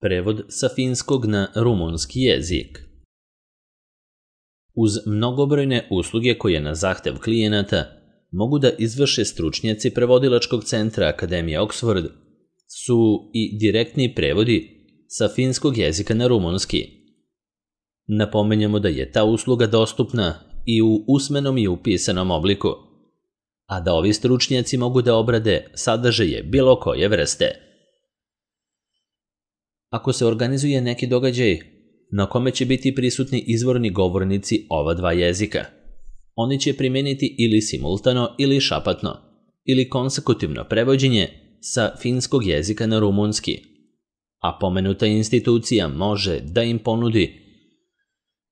Prevod sa finskog na rumunski jezik. Uz mnogobrojne usluge koje na zahtev klijenata mogu da izvrše stručnjaci prevodilačkog centra Akademije Oxford su i direktni prevodi sa finskog jezika na rumunski. Napomenjamo da je ta usluga dostupna i u usmenom i u pisanom obliku, a da ovi stručnjaci mogu da obrade sadržaje bilo koje vrste. Ako se organizuje neki događaj na kome će biti prisutni izvorni govornici ova dva jezika, oni će primeniti ili simultano ili šapatno ili konsekutivno prevođenje sa finskog jezika na rumunski, a pomenuta institucija može da im ponudi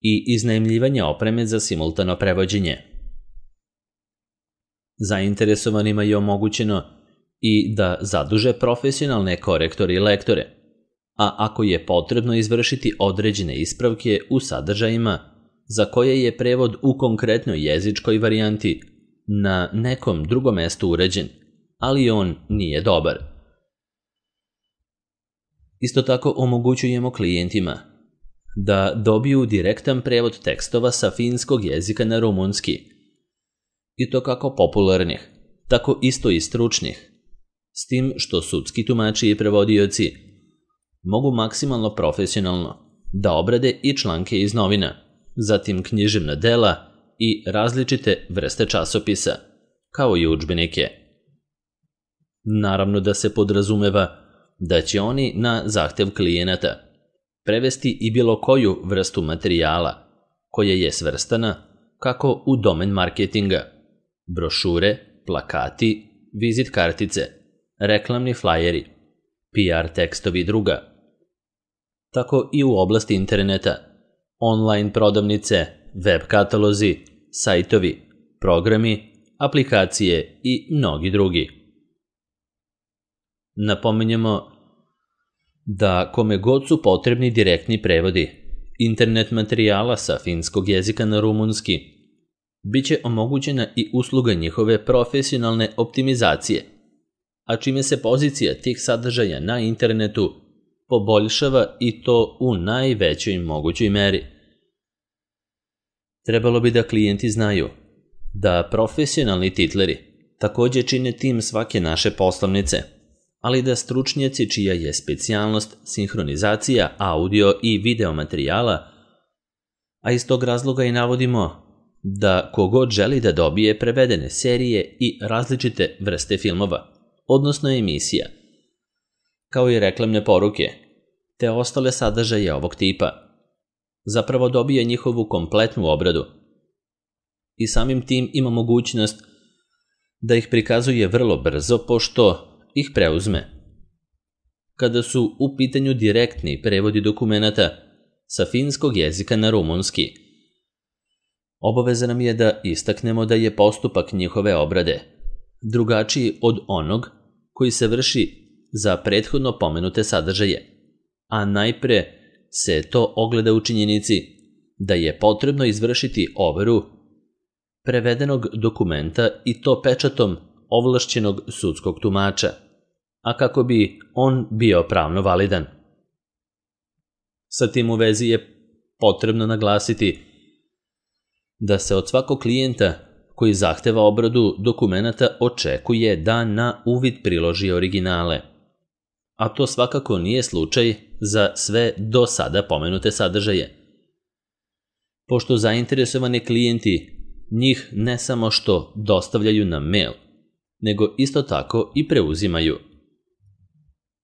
i iznajmljivanje opreme za simultano prevođenje. Zainteresovanima je omogućeno i da zaduže profesionalne korektore i lektore, a ako je potrebno izvršiti određene ispravke u sadržajima za koje je prevod u konkretnoj jezičkoj varijanti na nekom drugom mestu uređen, ali on nije dobar. Isto tako omogućujemo klijentima da dobiju direktan prevod tekstova sa finskog jezika na rumunski, i to kako popularnih, tako isto i stručnih, s tim što sudski tumači i prevodioci mogu maksimalno profesionalno da obrade i članke iz novina, zatim književna dela i različite vrste časopisa, kao i udžbenike. Naravno da se podrazumeva da će oni na zahtev klijenata prevesti i bilo koju vrstu materijala koja je svrstana kako u domen marketinga, brošure, plakati, vizit kartice, reklamni flajeri, PR tekstovi i druga, tako i u oblasti interneta, online prodavnice, web katalozi, sajtovi, programi, aplikacije i mnogi drugi. Napominjemo da kome god su potrebni direktni prevodi internet materijala sa finskog jezika na rumunski, bit će omogućena i usluga njihove profesionalne optimizacije, a čime se pozicija tih sadržaja na internetu poboljšava i to u najvećoj mogućoj meri. Trebalo bi da klijenti znaju da profesionalni titleri također čine tim svake naše poslovnice, ali da stručnjaci čija je specijalnost sinhronizacija audio i video materijala, a iz tog razloga i navodimo da kogod želi da dobije prevedene serije i različite vrste filmova, odnosno emisija, kao i reklamne poruke, te ostale sadržaje ovog tipa, zapravo dobije njihovu kompletnu obradu i samim tim ima mogućnost da ih prikazuje vrlo brzo pošto ih preuzme. Kada su u pitanju direktni prevodi dokumenata sa finskog jezika na rumunski, obaveza nam je da istaknemo da je postupak njihove obrade drugačiji od onog koji se vrši za prethodno pomenute sadržaje, a najpre se to ogleda u činjenici da je potrebno izvršiti overu prevedenog dokumenta i to pečatom ovlašćenog sudskog tumača, a kako bi on bio pravno validan. Sa tim u vezi je potrebno naglasiti da se od svakog klijenta koji zahteva obradu dokumenata očekuje da na uvid priloži originale, a to svakako nije slučaj za sve do sada pomenute sadržaje. Pošto zainteresovani klijenti njih ne samo što dostavljaju na mail, nego isto tako i preuzimaju.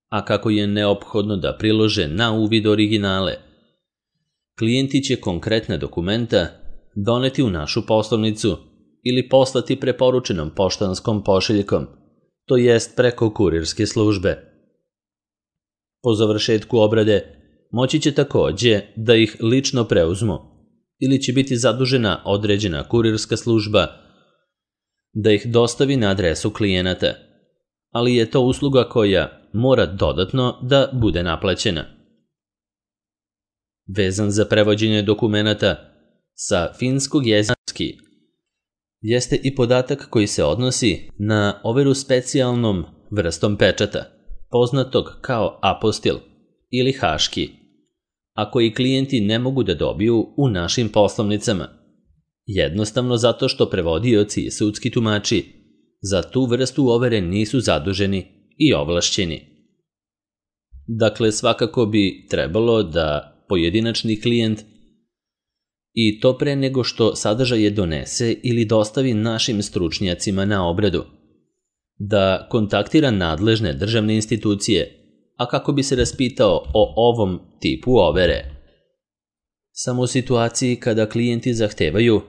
A kako je neophodno da prilože na uvid originale, klijenti će konkretne dokumenta doneti u našu poslovnicu ili poslati preporučenom poštanskom pošiljkom, to jest preko kurirske službe. Po završetku obrade moći će također da ih lično preuzmu ili će biti zadužena određena kurirska služba da ih dostavi na adresu klijenata, ali je to usluga koja mora dodatno da bude naplaćena. Vezan za prevođenje dokumenata sa finskog jezika jeste i podatak koji se odnosi na overu specijalnom vrstom pečata, poznatog kao apostil ili haški, a koji klijenti ne mogu da dobiju u našim poslovnicama, jednostavno zato što prevodioci i sudski tumači za tu vrstu overe nisu zaduženi i ovlašćeni. Dakle, svakako bi trebalo da pojedinačni klijent i to pre nego što sadržaje donese ili dostavi našim stručnjacima na obradu, da kontaktira nadležne državne institucije, a kako bi se raspitao o ovom tipu overe. Samo u situaciji kada klijenti zahtevaju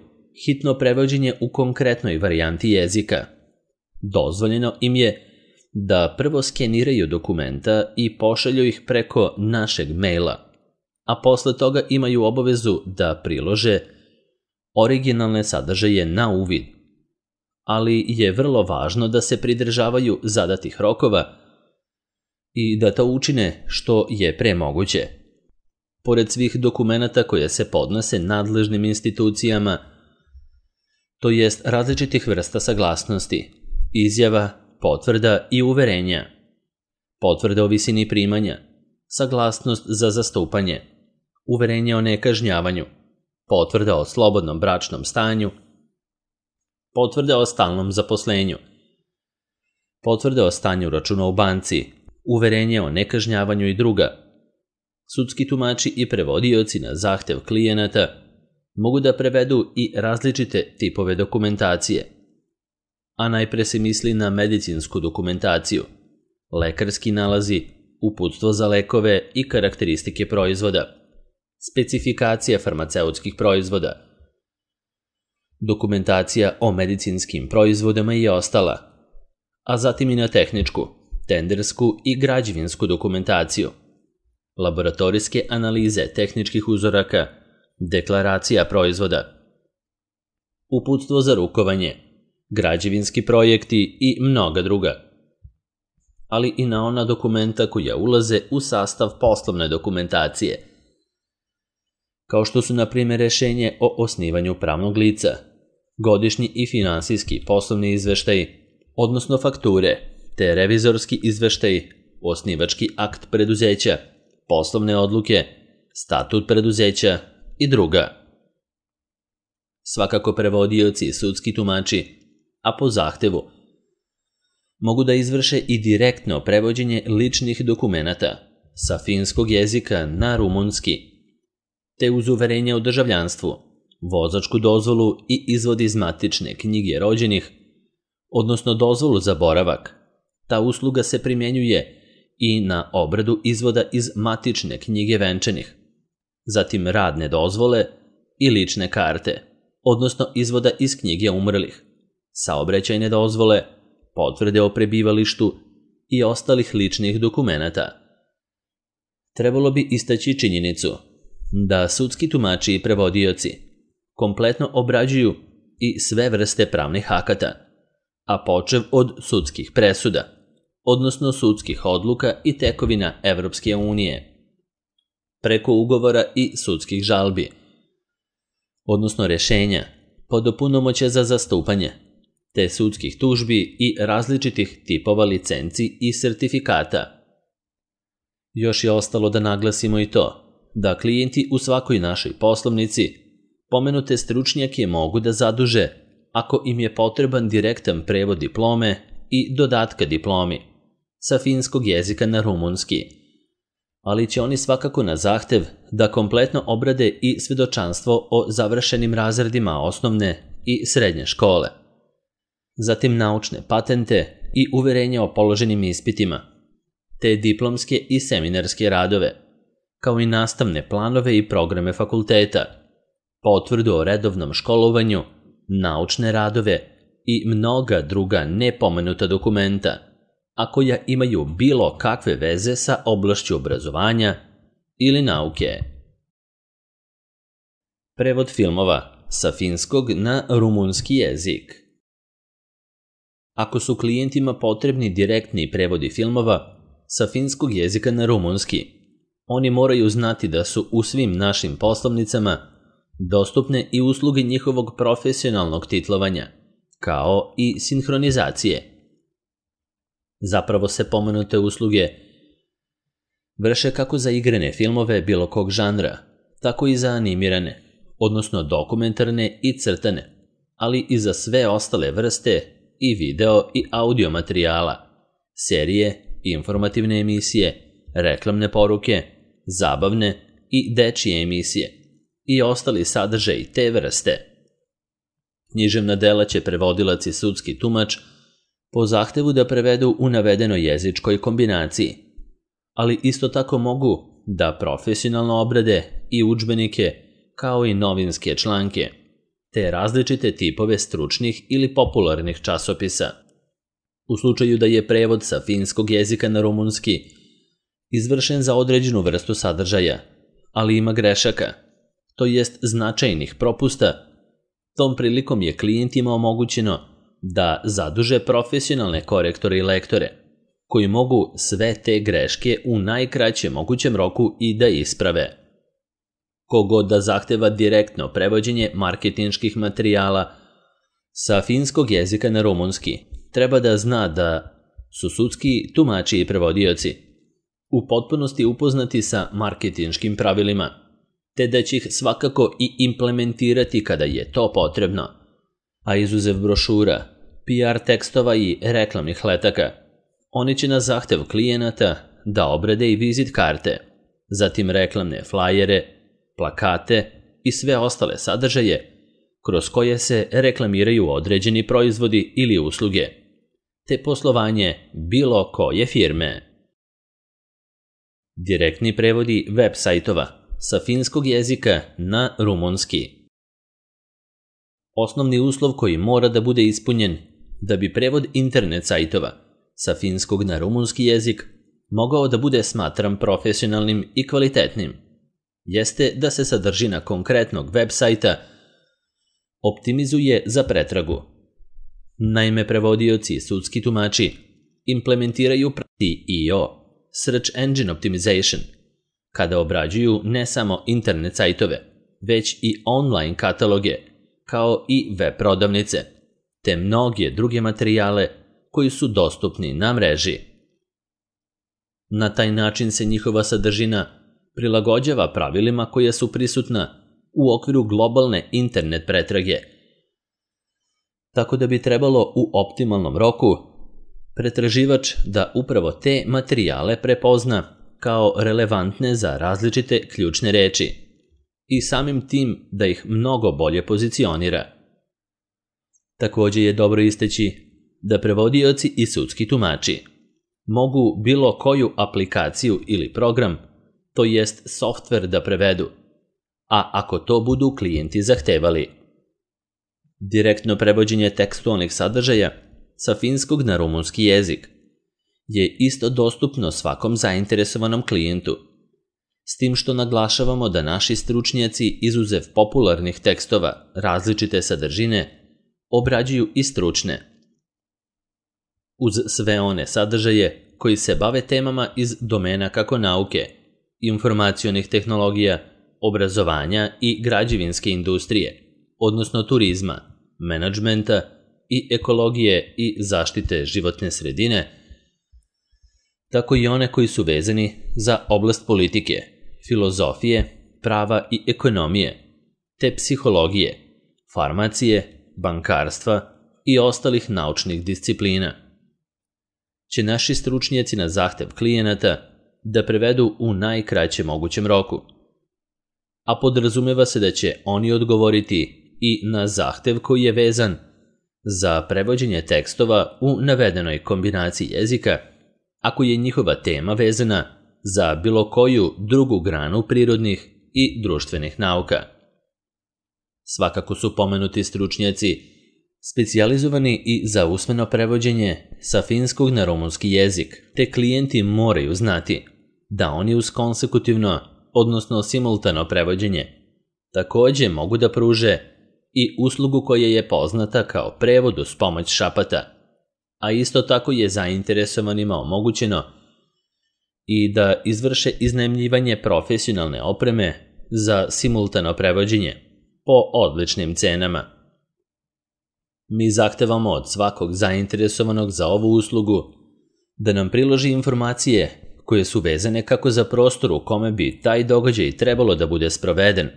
hitno prevođenje u konkretnoj varijanti jezika, dozvoljeno im je da prvo skeniraju dokumenta i pošalju ih preko našeg maila, a posle toga imaju obavezu da prilože originalne sadržaje na uvid. Ali je vrlo važno da se pridržavaju zadatih rokova i da to učine što je pre moguće. Pored svih dokumenata koje se podnose nadležnim institucijama, to jest različitih vrsta saglasnosti, izjava, potvrda i uverenja, potvrda o visini primanja, saglasnost za zastupanje, uverenje o nekažnjavanju, potvrda o slobodnom bračnom stanju, potvrda o stalnom zaposlenju, potvrda o stanju računa u banci, uverenje o nekažnjavanju i druga. Sudski tumači i prevodioci na zahtev klijenata mogu da prevedu i različite tipove dokumentacije, a najpre se misli na medicinsku dokumentaciju, lekarski nalazi, uputstvo za lekove i karakteristike proizvoda, specifikacija farmaceutskih proizvoda, dokumentacija o medicinskim proizvodima i ostala, a zatim i na tehničku, tendersku i građevinsku dokumentaciju, laboratorijske analize tehničkih uzoraka, deklaracija proizvoda, uputstvo za rukovanje, građevinski projekti i mnoga druga, ali i na ona dokumenta koja ulaze u sastav poslovne dokumentacije, kao što su na primjer rešenje o osnivanju pravnog lica, godišnji i finansijski poslovni izveštaj, odnosno fakture, te revizorski izveštaj, osnivački akt preduzeća, poslovne odluke, statut preduzeća i druga. Svakako prevodioci i sudski tumači, a po zahtevu, mogu da izvrše i direktno prevođenje ličnih dokumenata sa finskog jezika na rumunski, te uz uverenje o državljanstvu, vozačku dozvolu i izvod iz matične knjige rođenih, odnosno dozvolu za boravak. Ta usluga se primjenjuje i na obradu izvoda iz matične knjige venčanih, zatim radne dozvole i lične karte, odnosno izvoda iz knjige umrlih, saobraćajne dozvole, potvrde o prebivalištu i ostalih ličnih dokumenata. Trebalo bi istaći činjenicu da sudski tumači i prevodioci kompletno obrađuju i sve vrste pravnih akata, a počev od sudskih presuda, odnosno sudskih odluka i tekovina Evropske unije, preko ugovora i sudskih žalbi, odnosno rešenja, podopunomoćja za zastupanje, te sudskih tužbi i različitih tipova licenci i sertifikata. Još je ostalo da naglasimo i to da klijenti u svakoj našoj poslovnici pomenute stručnjake mogu da zaduže ako im je potreban direktan prevod diplome i dodatka diplomi sa finskog jezika na rumunski, ali će oni svakako na zahtev da kompletno obrade i svedočanstvo o završenim razredima osnovne i srednje škole, zatim naučne patente i uverenja o položenim ispitima, te diplomske i seminarske radove, kao i nastavne planove i programe fakulteta, potvrdu o redovnom školovanju, naučne radove i mnoga druga nepomenuta dokumenta, a koja imaju bilo kakve veze sa oblašću obrazovanja ili nauke. Prevod filmova sa finskog na rumunski jezik. Ako su klijentima potrebni direktni prevodi filmova sa finskog jezika na rumunski, oni moraju znati da su u svim našim poslovnicama dostupne i usluge njihovog profesionalnog titlovanja, kao i sinhronizacije. Zapravo se pomenute usluge vrše kako za igrane filmove bilo kog žanra, tako i za animirane, odnosno dokumentarne i crtane, ali i za sve ostale vrste i video i audio materijala, serije, informativne emisije, reklamne poruke, zabavne i dečije emisije i ostali sadržaji te vrste. Književna dela će prevodilac i sudski tumač po zahtevu da prevedu u navedenoj jezičkoj kombinaciji, ali isto tako mogu da profesionalno obrade i udžbenike kao i novinske članke, te različite tipove stručnih ili popularnih časopisa. U slučaju da je prevod sa finskog jezika na rumunski izvršen za određenu vrstu sadržaja, ali ima grešaka, to jest značajnih propusta, tom prilikom je klijentima omogućeno da zaduže profesionalne korektore i lektore, koji mogu sve te greške u najkraćem mogućem roku i da isprave. Kogod da zahteva direktno prevođenje marketinških materijala sa finskog jezika na rumunski, treba da zna da su sudski tumači i prevodioci u potpunosti upoznati sa marketinškim pravilima, te da će ih svakako i implementirati kada je to potrebno, a izuzev brošura, PR tekstova i reklamnih letaka, oni će na zahtev klijenata da obrade i vizit karte, zatim reklamne flajere, plakate i sve ostale sadržaje kroz koje se reklamiraju određeni proizvodi ili usluge, te poslovanje bilo koje firme. Direktni prevodi web sajtova sa finskog jezika na rumunski. Osnovni uslov koji mora da bude ispunjen da bi prevod internet sajtova sa finskog na rumunski jezik mogao da bude smatran profesionalnim i kvalitetnim, jeste da se sadržina konkretnog web sajta optimizuje za pretragu. Naime, prevodioci i sudski tumači implementiraju SEO, Search Engine Optimization, kada obrađuju ne samo internet sajtove, već i online kataloge, kao i web prodavnice, te mnoge druge materijale koji su dostupni na mreži. Na taj način se njihova sadržina prilagođava pravilima koja su prisutna u okviru globalne internet pretrage, tako da bi trebalo u optimalnom roku pretraživač da upravo te materijale prepozna kao relevantne za različite ključne reči i samim tim da ih mnogo bolje pozicionira. Također je dobro istaći da prevodioci i sudski tumači mogu bilo koju aplikaciju ili program, to jest softver da prevedu, a ako to budu klijenti zahtevali. Direktno prevođenje tekstualnih sadržaja sa finskog na rumunski jezik je isto dostupno svakom zainteresovanom klijentu, s tim što naglašavamo da naši stručnjaci izuzev popularnih tekstova različite sadržine obrađuju i stručne. Uz sve one sadržaje koji se bave temama iz domena kako nauke, informacionih tehnologija, obrazovanja i građevinske industrije, odnosno turizma, menadžmenta i ekologije i zaštite životne sredine, tako i one koji su vezani za oblast politike, filozofije, prava i ekonomije, te psihologije, farmacije, bankarstva i ostalih naučnih disciplina. Će naši stručnjaci na zahtev klijenata da prevedu u najkraćem mogućem roku, a podrazumeva se da će oni odgovoriti i na zahtev koji je vezan za prevođenje tekstova u navedenoj kombinaciji jezika, ako je njihova tema vezana za bilo koju drugu granu prirodnih i društvenih nauka. Svakako su pomenuti stručnjaci specijalizovani i za usmeno prevođenje sa finskog na rumunski jezik, te klijenti moraju znati da oni uz konsekutivno, odnosno simultano prevođenje, također mogu da pruže i uslugu koja je poznata kao prevod uz pomoć šapata, a isto tako je zainteresovanima omogućeno i da izvrše iznajmljivanje profesionalne opreme za simultano prevođenje po odličnim cenama. Mi zahtevamo od svakog zainteresovanog za ovu uslugu da nam priloži informacije koje su vezane kako za prostor u kome bi taj događaj trebalo da bude sproveden,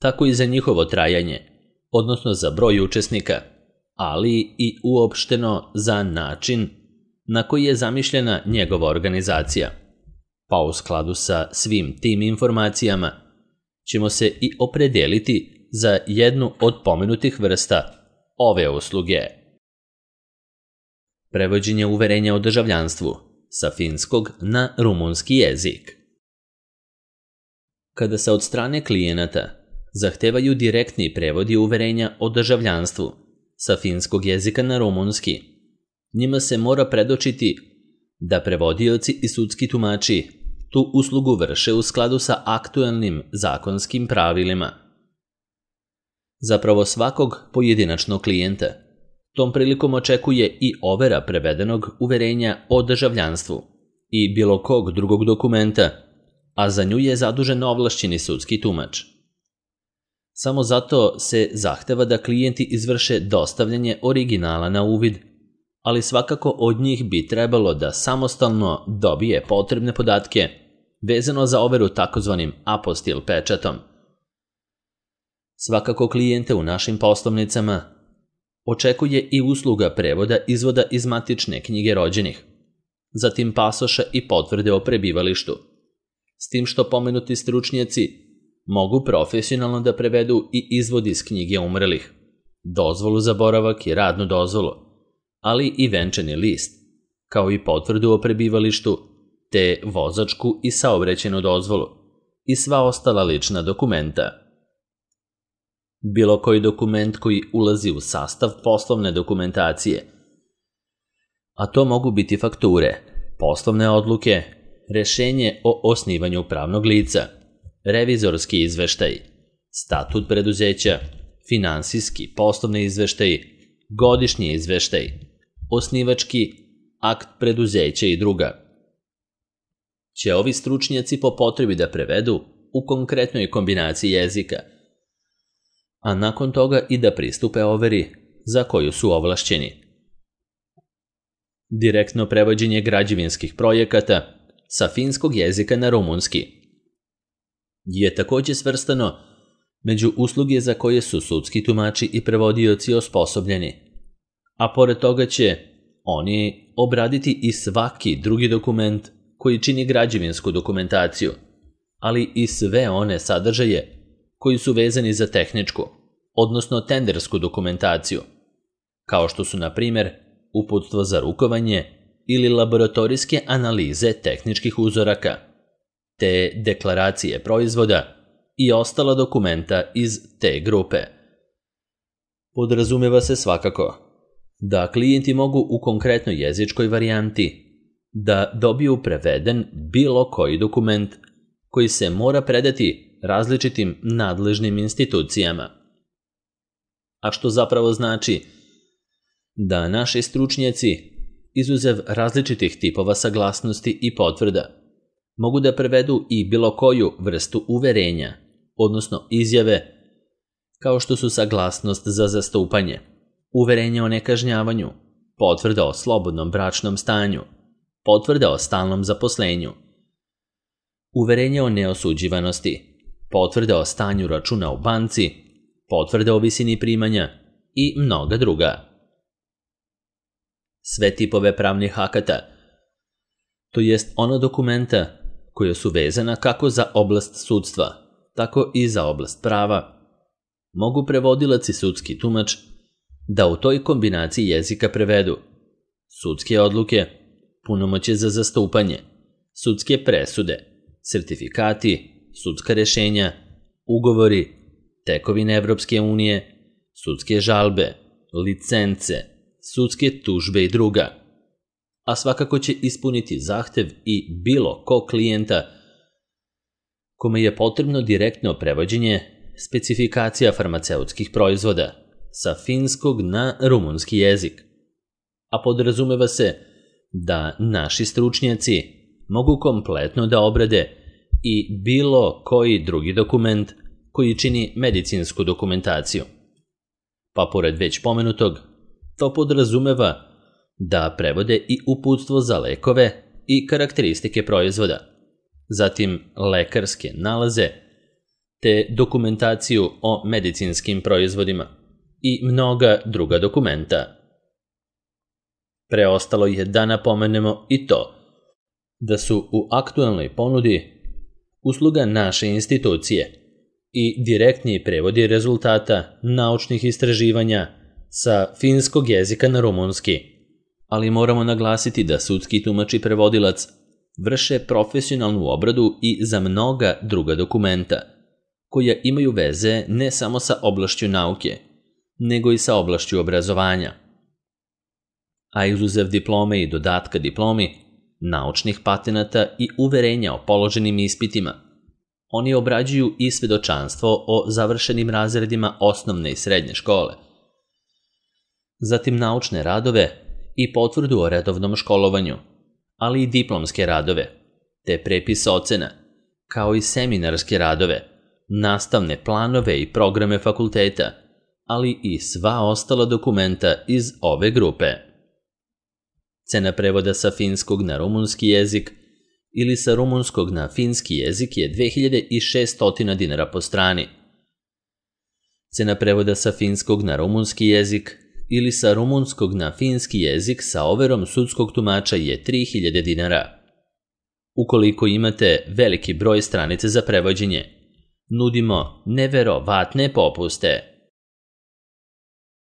tako i za njihovo trajanje, odnosno za broj učesnika, ali i uopšteno za način na koji je zamišljena njegova organizacija. Pa u skladu sa svim tim informacijama ćemo se i opredeliti za jednu od pomenutih vrsta ove usluge. Prevođenje uverenja o državljanstvu sa finskog na rumunski jezik. Kada se od strane klijenata zahtevaju direktni prevodi uverenja o državljanstvu sa finskog jezika na rumunski, njima se mora predočiti da prevodioci i sudski tumači tu uslugu vrše u skladu sa aktuelnim zakonskim pravilima. Zapravo svakog pojedinačnog klijenta tom prilikom očekuje i overa prevedenog uverenja o državljanstvu i bilo kog drugog dokumenta, a za nju je zadužen ovlašćeni sudski tumač. Samo zato se zahteva da klijenti izvrše dostavljanje originala na uvid, ali svakako od njih bi trebalo da samostalno dobije potrebne podatke vezano za overu takozvanim apostil pečatom. Svakako klijente u našim poslovnicama očekuje i usluga prevoda izvoda iz matične knjige rođenih, zatim pasoša i potvrde o prebivalištu, s tim što pomenuti stručnjaci mogu profesionalno da prevedu i izvod iz knjige umrlih, dozvolu za boravak i radnu dozvolu, ali i venčani list, kao i potvrdu o prebivalištu, te vozačku i saobraćajnu dozvolu i sva ostala lična dokumenta. Bilo koji dokument koji ulazi u sastav poslovne dokumentacije, a to mogu biti fakture, poslovne odluke, rešenje o osnivanju pravnog lica, revizorski izveštaj, statut preduzeća, finansijski poslovni izveštaj, godišnji izveštaj, osnivački akt preduzeća i druga, će ovi stručnjaci po potrebi da prevedu u konkretnoj kombinaciji jezika, a nakon toga i da pristupe overi za koju su ovlašćeni. Direktno prevođenje građevinskih projekata sa finskog jezika na rumunski je također svrstano među usluge za koje su sudski tumači i prevodioci osposobljeni, a pored toga će oni obraditi i svaki drugi dokument koji čini građevinsku dokumentaciju, ali i sve one sadržaje koji su vezani za tehničku, odnosno tendersku dokumentaciju, kao što su, na primjer, uputstvo za rukovanje ili laboratorijske analize tehničkih uzoraka, te deklaracije proizvoda i ostala dokumenta iz te grupe. Podrazumeva se svakako da klijenti mogu u konkretnoj jezičkoj varijanti da dobiju preveden bilo koji dokument koji se mora predati različitim nadležnim institucijama. A što zapravo znači da naši stručnjaci, izuzev različitih tipova saglasnosti i potvrda, mogu da prevedu i bilo koju vrstu uverenja, odnosno izjave, kao što su saglasnost za zastupanje, uverenje o nekažnjavanju, potvrda o slobodnom bračnom stanju, potvrda o stalnom zaposlenju, uverenje o neosuđivanosti, potvrda o stanju računa u banci, potvrda o visini primanja i mnoga druga. Sve tipove pravnih akata, to jest ona dokumenta koja su vezana kako za oblast sudstva, tako i za oblast prava, mogu prevodilac i sudski tumač da u toj kombinaciji jezika prevedu sudske odluke, punomoćje za zastupanje, sudske presude, sertifikati, sudska rešenja, ugovori, tekovine Evropske unije, sudske žalbe, licence, sudske tužbe i druga. A svakako će ispuniti zahtev i bilo ko klijenta kome je potrebno direktno prevođenje specifikacija farmaceutskih proizvoda sa finskog na rumunski jezik. A podrazumeva se da naši stručnjaci mogu kompletno da obrade i bilo koji drugi dokument koji čini medicinsku dokumentaciju. Pa pored već pomenutog, to podrazumeva da prevode i uputstvo za lekove i karakteristike proizvoda, zatim lekarske nalaze, te dokumentaciju o medicinskim proizvodima i mnoga druga dokumenta. Preostalo je da napomenemo i to da su u aktualnoj ponudi usluga naše institucije i direktni prevodi rezultata naučnih istraživanja sa finskog jezika na rumunski, ali moramo naglasiti da sudski tumač i prevodilac vrše profesionalnu obradu i za mnoga druga dokumenta, koja imaju veze ne samo sa oblašću nauke, nego i sa oblašću obrazovanja. A izuzev diplome i dodatka diplomi, naučnih patenata i uverenja o položenim ispitima, oni obrađuju i svedočanstvo o završenim razredima osnovne i srednje škole, zatim naučne radove i potvrdu o redovnom školovanju, ali i diplomske radove, te prepis ocena, kao i seminarske radove, nastavne planove i programe fakulteta, ali i sva ostala dokumenta iz ove grupe. Cena prevoda sa finskog na rumunski jezik ili sa rumunskog na finski jezik je 2600 dinara po strani. Cena prevoda sa finskog na rumunski jezik ili sa rumunskog na finski jezik sa overom sudskog tumača je 3000 dinara. Ukoliko imate veliki broj stranice za prevođenje, nudimo neverovatne popuste.